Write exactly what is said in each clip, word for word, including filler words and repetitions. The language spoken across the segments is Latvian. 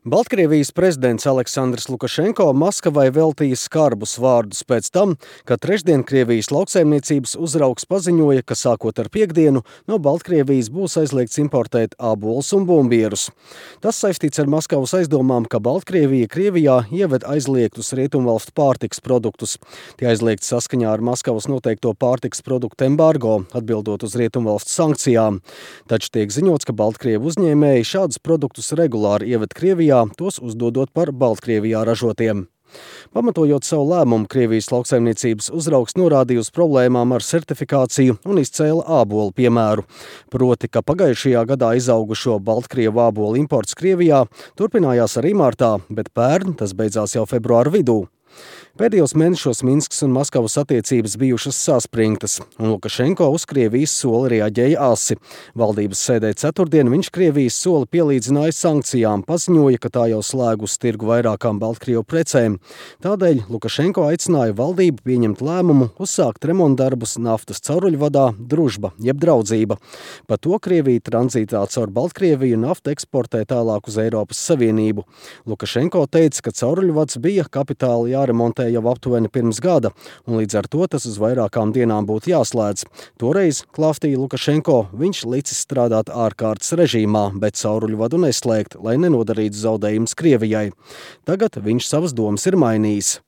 Baltkrievijas prezidents Aleksandrs Lukašenko Maskavai veltīja skarbus vārdus pēc tam, kad trešdien Krievijas lauksaimniecības uzraugs paziņoja, ka sākot ar piektdienu no Baltkrievijas būs aizliegts importēt ābolus un bumbierus. Tas saistīts ar Maskavas aizdomām, ka Baltkrievija Krievijā ieved aizliegtus rietumvalstu pārtikas produktus. Tie aizliegti saskaņā ar Maskavas noteikto pārtikas produktu embargo, atbildot uz rietumvalstu sankcijām. Taču tiek ziņots, ka Baltkrievu uzņēmēji šādus produktus regulāri ieved Krievijā, tos uzdodot par Baltkrievijā ražotiem. Pamatojot savu lēmumu, Krievijas lauksaimniecības uzraugs norādīja uz problēmām ar certifikāciju un izcēla ābolu piemēru. Proti, ka pagājušajā gadā izaugušo Baltkrievu ābolu imports Krievijā turpinājās arī martā, bet pērn tas beidzās jau februāra vidū. Pēdējos mēnešos Minskas un Maskavas attiecības bijušas saspringtas, un Lukašenko uz Krievijas soli reaģēja asi. Valdības sēdē ceturtdien viņš Krievijas soli pielīdzināja sankcijām, paziņoja, ka tā jau slēgus tirgu vairākām Baltkrievu precēm. Tādēļ Lukašenko aicināja valdību pieņemt lēmumu uzsākt remontdarbus naftas cauruļvadā Družba, jeb Draudzība. Pa to Krievija tranzītā caur Baltkrieviju naftu eksportē tālāk uz Eiropas Savienību. Lukašenko teica, ka cauruļvads bija kapitāli jāremontē jau aptuveni pirms gada, un līdz ar to tas uz vairākām dienām būtu jāslēdz. Toreiz, klāstīja Lukašenko, viņš licis strādāt ārkārtas režīmā, bet cauruļvadu neslēgt, lai nenodarītu zaudējumus Krievijai. Tagad viņš savas domas ir mainījis.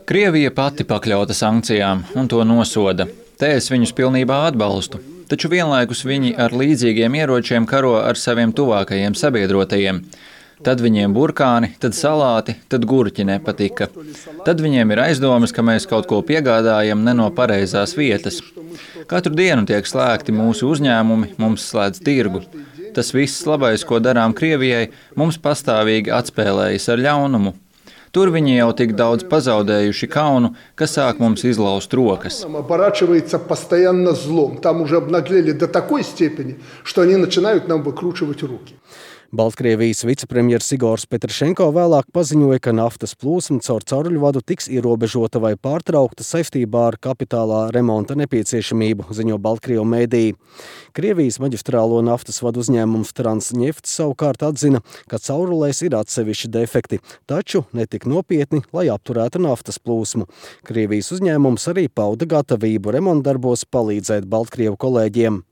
Krievija pati pakļauta sankcijām un to nosoda. Te es viņus pilnībā atbalstu. Taču vienlaikus viņi ar līdzīgiem ieročiem karo ar saviem tuvākajiem sabiedrotajiem. Tad viņiem burkāni, tad salāti, tad gurķi nepatika. Tad viņiem ir aizdomas, ka mēs kaut ko piegādājam ne no pareizās vietas. Katru dienu tiek slēgti mūsu uzņēmumi, mums slēdz tirgu. Tas viss labais, ko darām Krievijai, mums pastāvīgi atspēlējas ar ļaunumu. Tur viņi jau tik daudz pazaudējuši kaunu, ka sāk mums izlaust rokas. Baltkrievijas vicepremjers Igors Petrašenko vēlāk paziņoja, ka naftas plūsma caur cauruļvadu tiks ierobežota vai pārtraukta saistībā ar kapitālā remonta nepieciešamību, ziņo Baltkrievu mēdīji. Krievijas maģistrālo naftas vadu uzņēmums Transneft savukārt atzina, ka caurulēs ir atsevišķi defekti, taču netik nopietni, lai apturētu naftas plūsmu. Krievijas uzņēmums arī pauda gatavību remontdarbos palīdzēt Baltkrievu kolēģiem.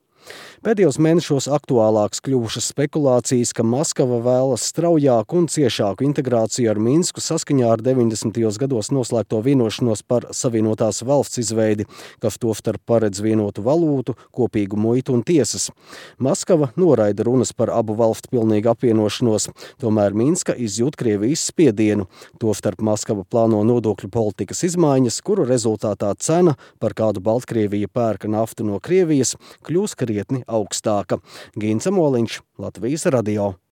Pēdējos mēnešos aktuālāks kļuvušas spekulācijas, ka Maskava vēlas straujāku un ciešāku integrāciju ar Minsku saskaņā ar deviņdesmitajos gados noslēgto vienošanos par savienotās valsts izveidi, kas tostarp paredz vienotu valūtu, kopīgu muitu un tiesas. Maskava noraida runas par abu valstu pilnīgu apvienošanos, tomēr Minska izjūt Krievijas spiedienu. Tostarp Maskava plāno nodokļu politikas izmaiņas, kuru rezultātā cena, par kādu Baltkrievija pērka naftu no Krievijas, kļūs krietni augstāka. Gins Amoliņš, Latvijas radio.